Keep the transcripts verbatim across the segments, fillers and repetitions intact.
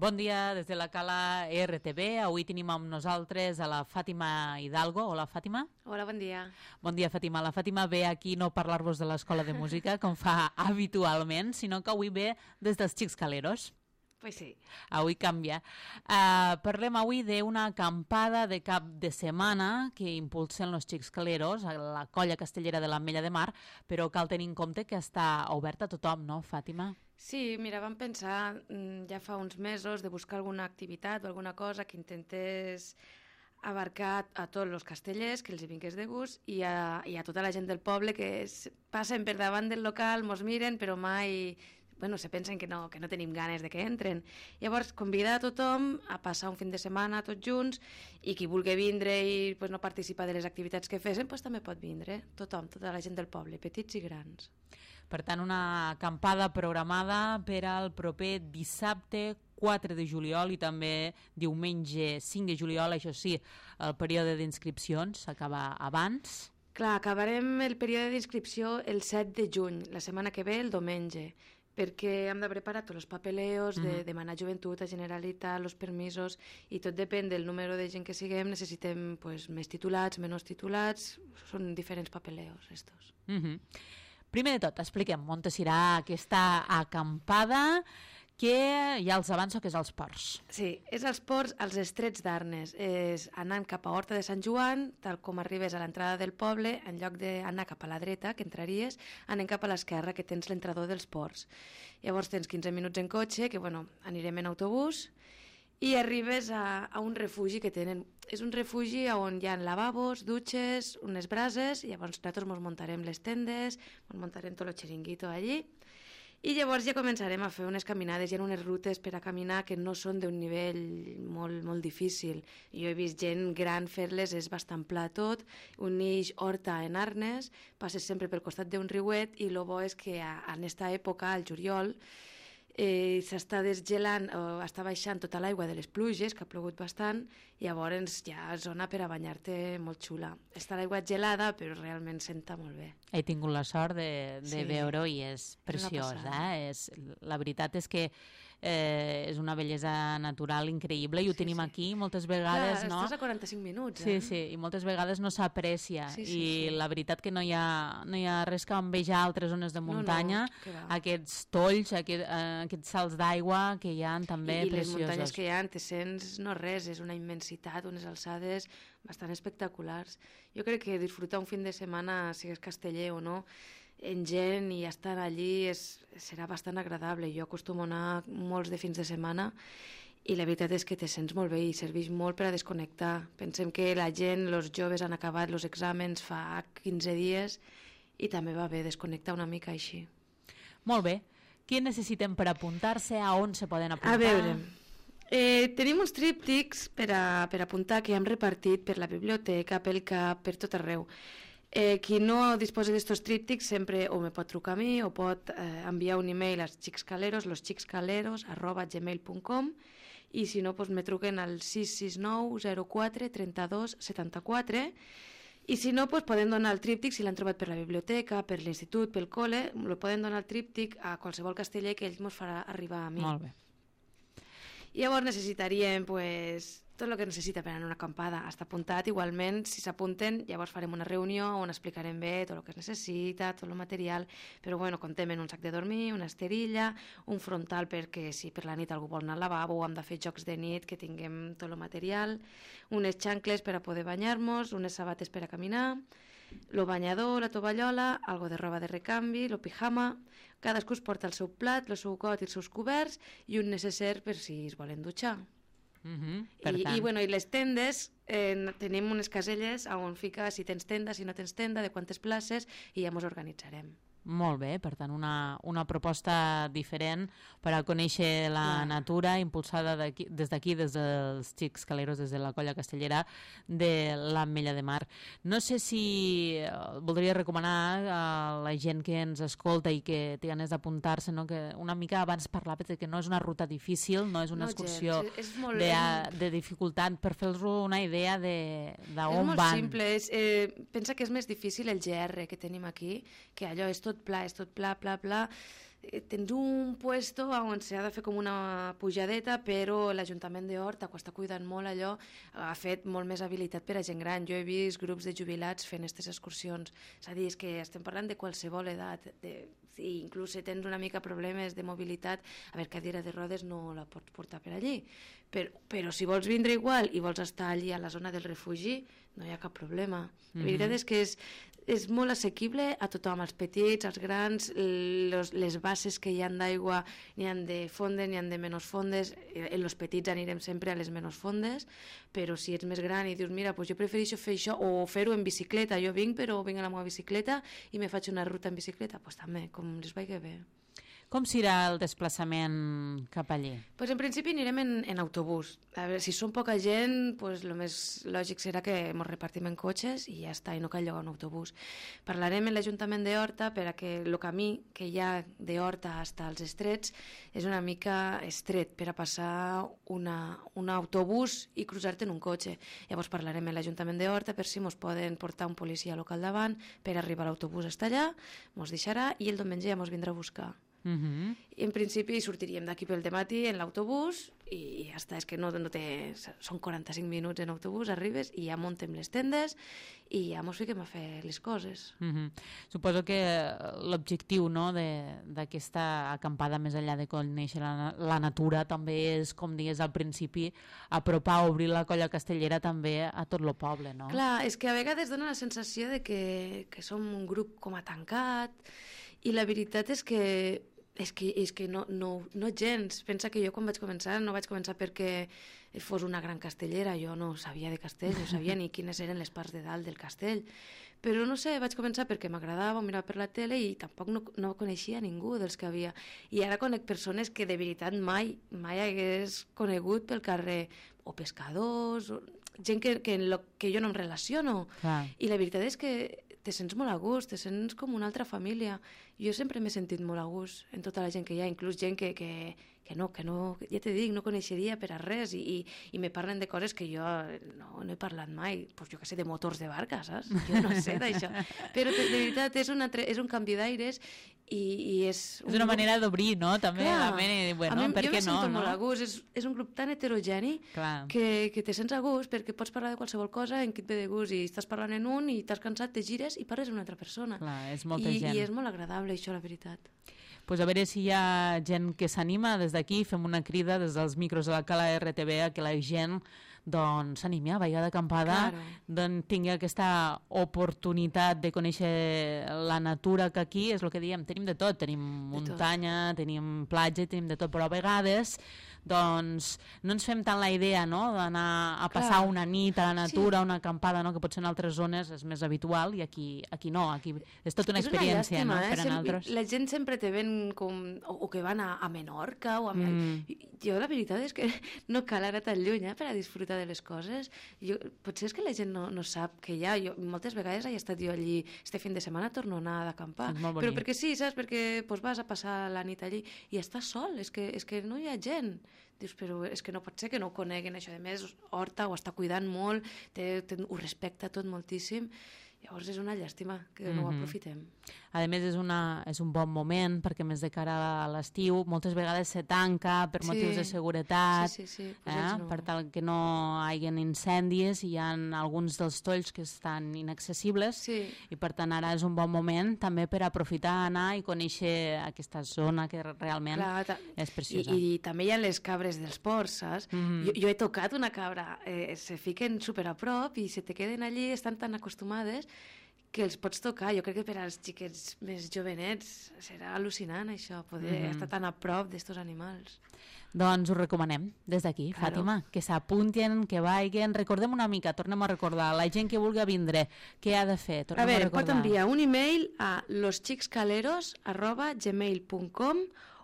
Bon dia des de la Cala R T V. Avui tenim amb nosaltres a la Fàtima Hidalgo. Hola, Fàtima. Hola, bon dia. Bon dia, Fàtima. La Fàtima ve aquí no a parlar-vos de l'Escola de Música, com fa habitualment, sinó que avui ve des dels Xics Caleros. Pues sí. Avui canvia. Uh, parlem avui d'una acampada de cap de setmana que impulsen els Xics Caleros a la colla castellera de l'Ametlla de Mar, però cal tenir en compte que està oberta a tothom, no, Fàtima? Sí, mira, vam pensar ja fa uns mesos de buscar alguna activitat o alguna cosa que intentés abarcar a tots els castellers, que els hi vingués de gust, i a, i a tota la gent del poble que es, passen per davant del local, mos miren, però mai... Bueno, se pensen que no, que no tenim ganes de que entren. Llavors, convidar a tothom a passar un fin de setmana tots junts i qui vulgui vindre i pues, no participar de les activitats que fesen, pues, també pot vindre. Tothom, tota la gent del poble, petits i grans. Per tant, una acampada programada per al proper dissabte quatre de juliol i també diumenge cinc de juliol. Això sí, el període d'inscripcions s'acaba abans. Clar, acabarem el període d'inscripció el set de juny, la setmana que ve, el diumenge, perquè hem de preparar tots els papeleos, de uh-huh. demanar joventut a Generalitat, els permisos, i tot depèn del número de gent que siguem, necessitem pues, més titulats, menys titulats, són diferents papeleos, estos. Uh-huh. Primer de tot, expliquem on serà aquesta acampada, que ja els avanço que és als ports. Sí, és als ports, als Estrets d'Arnes. És anant cap a Horta de Sant Joan, tal com arribes a l'entrada del poble, en lloc d'anar cap a la dreta, que entraries, anem cap a l'esquerra, que tens l'entrador dels ports. Llavors tens quinze minuts en cotxe, que bueno, anirem en autobús, i arribes a, a un refugi que tenen. És un refugi on hi ha lavabos, dutxes, unes brases, i llavors nosaltres ens muntarem les tendes, ens muntarem tot el xiringuito allí, i llavors ja començarem a fer unes caminades. Hi ha unes rutes per a caminar que no són d'un nivell molt, molt difícil. Jo he vist gent gran fer-les, és bastant pla tot, uneix Horta en Arnes, passes sempre pel costat d'un riuet, i el bo és que a, en aquesta època, al juliol, eh, s'està desgelant, o està baixant tota l'aigua de les pluges, que ha plogut bastant, i llavors hi ha zona per a banyar-te molt xula. Està l'aigua gelada, però realment senta molt bé. He tingut la sort de, de sí. veure-ho i és preciós. Eh? És, la veritat és que eh, és una bellesa natural increïble i ho sí, tenim sí. aquí moltes vegades. Clar, no? Estàs a quaranta-cinc minuts. Sí, eh? sí, i moltes vegades no s'aprecia. Sí, sí, I sí. la veritat que no hi ha, no hi ha res que envejar altres zones de muntanya. No, no, aquests tolls, aquest, eh, aquests salts d'aigua que hi ha també I, i preciosos. les muntanyes que hi ha, te sents no res, és una immensitat, unes alçades bastant espectaculars. Jo crec que disfrutar un fin de setmana, sigues casteller o no, en gent i estar allí és, serà bastant agradable. Jo acostumo a anar molts de fins de setmana i la veritat és que te sents molt bé i serveix molt per a desconnectar. Pensem que la gent, els joves han acabat els exàmens fa quinze dies i també va bé desconnectar una mica així. Molt bé. Què necessitem per apuntar-se? A on se poden apuntar? A veure, eh, tenim uns tríptics per a, per apuntar que hem repartit per la biblioteca, pel cap, per tot arreu. Eh, qui no disposa d'estos tríptics sempre o me pot trucar a mi o pot eh, enviar un email als xicscaleros, losxicscaleros arroba gmail punt com, i si no, pues, me truquen al sis sis nou zero quatre trenta-dos setanta-quatre, i si no, pues, poden donar el tríptic, si l'han trobat per la biblioteca, per l'institut, pel col·le, lo poden donar el tríptic a qualsevol casteller que ell ens farà arribar a mi. Molt bé. I llavors necessitaríem pues, tot el que necessita per anar a una acampada. Està apuntat, igualment, si s'apunten, llavors farem una reunió on explicarem bé tot el que es necessita, tot el material, però bueno, contem en un sac de dormir, una esterilla, un frontal perquè si per la nit algú vol anar al lavabo o hem de fer jocs de nit, que tinguem tot el material, unes xancles per a poder banyar-nos, unes sabates per a caminar, el banyador, la tovallola, algo de roba de recanvi, el pijama, cadascú es porta el seu plat, el seu got i els seus coberts i un necesser per si es volen dutxar. Uh-huh. Per I, tant... i, bueno, i les tendes, eh, tenim unes caselles on fica si tens tenda, si no tens tenda, de quantes places, i ja ens organitzarem. Molt bé, per tant, una, una proposta diferent per a conèixer la ah. natura, impulsada d'aquí, des d'aquí, des dels Xics Caleros, des de la colla castellera de l'Ametlla de Mar. No sé si voldria recomanar a la gent que ens escolta i que té ganes d'apuntar-se, no? Que una mica abans parlava de que no és una ruta difícil, no és una no, excursió gens, és molt, de, de dificultat, per fer-los una idea de, de on van. És molt simple, és, eh, pensa que és més difícil el G R que tenim aquí, que allò és tot pla, és tot pla, pla, pla, tens un puesto on s'ha de fer com una pujadeta, però l'Ajuntament de Horta, que està cuidant molt allò, ha fet molt més habilitat per a gent gran. Jo he vist grups de jubilats fent aquestes excursions. És a dir, és que estem parlant de qualsevol edat, de, i inclús si tens una mica problemes de mobilitat, a veure, cadira de rodes no la pots portar per allí, però, però si vols vindre igual i vols estar allí a la zona del refugi, no hi ha cap problema. La veritat és que és, és molt assequible a tothom, als petits, als grans, los, les bases que hi ha d'aigua, n'hi ha de fondes, n'hi ha de menys fondes. En els petits anirem sempre a les menys fondes, però si ets més gran i dius, mira, pues jo prefereixo fer això, o fer-ho en bicicleta, jo vinc, però vinc a la meva bicicleta i me faig una ruta en bicicleta, doncs pues també, com les vagi bé. Com serà el desplaçament cap allí? Pues en principi anirem en, en autobús. A veure, si som poca gent, pues el més lògic serà que ens repartim en cotxes i ja està, i no cal llogar un autobús. Parlarem amb l'Ajuntament de Horta per a que el camí que hi ha de Horta fins als Estrets és una mica estret per a passar una, un autobús i cruzar-te en un cotxe. Llavors parlarem amb l'Ajuntament de Horta per si ens poden portar un policia local davant per arribar a l'autobús hasta allà, ens deixarà i el diumenge ja ens vindrà a buscar. Uh-huh. En principi sortiríem d'aquí pel dematí en l'autobús i ja està, és que no, no té, són quaranta-cinc minuts en autobús, arribes i ja muntem les tendes i ja mos fiquem a fer les coses. Uh-huh. Suposo que l'objectiu, no, d'aquesta acampada més enllà de conèixer la, la natura també és, com digues al principi, apropar, obrir la colla castellera també a tot el poble, no? Clar, és que a vegades dona la sensació de que, que som un grup com a tancat i la veritat és que És que, és que no, no, no gens. Pensa que jo quan vaig començar no vaig començar perquè fos una gran castellera, jo no sabia de castell, no sabia ni quines eren les parts de dalt del castell, però no sé, vaig començar perquè m'agradava mirar per la tele i tampoc no, no coneixia ningú dels que havia, i ara conec persones que de veritat mai mai hagués conegut pel carrer, o pescadors, o gent que, que, en lo, que jo no em relaciono. Clar. I la veritat és que te sents molt a gust, te sents com una altra família. Jo sempre m'he sentit molt a gust en tota la gent que hi ha, inclús gent que, que, que no, que no, ja te dic, no coneixeria per a res, i, i, i me parlen de coses que jo no, no he parlat mai, pues jo que sé, de motors de barca, saps? Jo no sé d'això. Però de, de veritat és, una, és un canvi d'aires i, i és... És una manera d'obrir, no? També Clar, la ment, bueno, a mi, per què no? Jo me sento no? molt a gust, és, és un grup tan heterogeni que, que te sents a gust perquè pots parlar de qualsevol cosa en què et ve de gust, i estàs parlant en un i t'has cansat, te gires i parles amb una altra persona. Clar, és molta I, gent. I és molt agradable això, la veritat. Pues a veure si hi ha gent que s'anima. Des d'aquí fem una crida des dels micros de la Cala R T V a que la gent doncs s'animi a vaiar d'acampada, Claro. doncs tingui aquesta oportunitat de conèixer la natura, que aquí és el que diem, tenim de tot, tenim muntanya, tot. Tenim platja, tenim de tot, però a vegades doncs no ens fem tant la idea, no?, d'anar a passar Clar. una nit a la natura, Sí. una acampada, no?, que potser en altres zones és més habitual i aquí, aquí no, aquí és tota una És experiència, llàstima, no?, eh? per a Sem nosaltres. La gent sempre te ven com... O, o que van a, a Menorca o a... Mm. Jo la veritat és que no cal anar tan lluny eh, per a disfrutar de les coses. Jo, potser és que la gent no, no sap que hi ha. Jo, moltes vegades he estat jo allí, este fin de setmana torno a anar d'acampar. És molt Però bonic. perquè sí, saps? Perquè pues, vas a passar la nit allí i estàs sol, és que, és que no hi ha gent. Dius, però és que no pot ser que no ho coneguen això. A més, Horta ho està cuidant molt, té, té, ho respecta tot moltíssim. Llavors és una llàstima que no ho Mhm. aprofitem. A més, és, una, és un bon moment perquè més de cara a l'estiu moltes vegades se tanca per Sí. motius de seguretat, Sí, sí, sí. Pues eh? ells no. per tal que no hi hagi incendis, i hi ha alguns dels tolls que estan inaccessibles, Sí. i per tant ara és un bon moment també per aprofitar, anar i conèixer aquesta zona que realment Clar, ta- és I, preciosa. I també hi ha les cabres dels ports, saps? Mhm. jo, jo he tocat una cabra, eh, se fiquen super a prop i se te queden allí, estan tan acostumades que els pots tocar. Jo crec que per als xiquets més jovenets serà al·lucinant això, poder Mhm. estar tan a prop d'estos animals. Doncs ho recomanem des d'aquí, Claro. Fàtima, que s'apuntin, que vagin. Recordem una mica, tornem a recordar, la gent que vulgui vindre, què ha de fer? Tornem A veure, a pot recordar. enviar un email a losxicscaleros arroba gmail punt com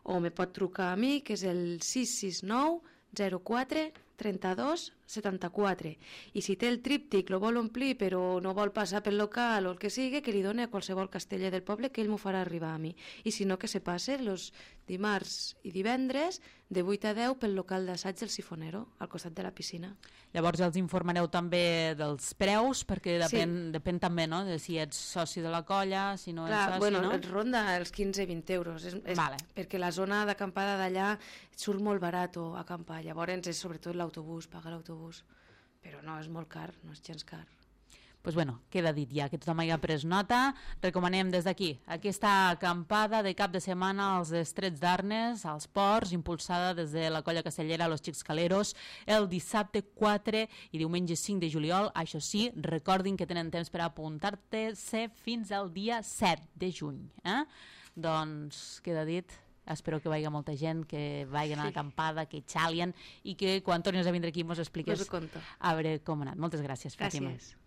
o me pot trucar a mi, que és el sis sis nou zero quatre trenta-dos setanta-quatre. I si té el tríptic, lo vol omplir però no vol passar pel local o el que sigui, que li doni a qualsevol casteller del poble que ell m'ho farà arribar a mi. I si no, que se passe els dimarts i divendres de vuit a deu pel local d'assaig del Sifonero, al costat de la piscina. Llavors ja els informareu també dels preus, perquè depèn, sí. depèn també, no?, de si ets soci de la colla, si no Clar, ets soci, bueno, no? ens ronda els quinze a vint euros, és, és Vale. perquè la zona d'acampada d'allà surt molt barat acampar, llavors és sobretot l'autobús, pagar l'autobús, però no, és molt car, no és gens car. Pues bueno, queda dit ja, que tothom hagi pres nota. Recomanem des d'aquí aquesta acampada de cap de setmana als Estrets d'Arnes, als ports, impulsada des de la colla castellera Los Xics Caleros, el dissabte quatre i diumenge cinc de juliol. Això sí, recordin que tenen temps per apuntar-se fins al dia set de juny. Eh? Doncs queda dit. Espero que vagi molta gent, que vagin a l'acampada, que xalien i que quan tornis a vindre aquí mos expliques Us ho conto. a veure com ha anat. Moltes gràcies, Fàtima. Gràcies.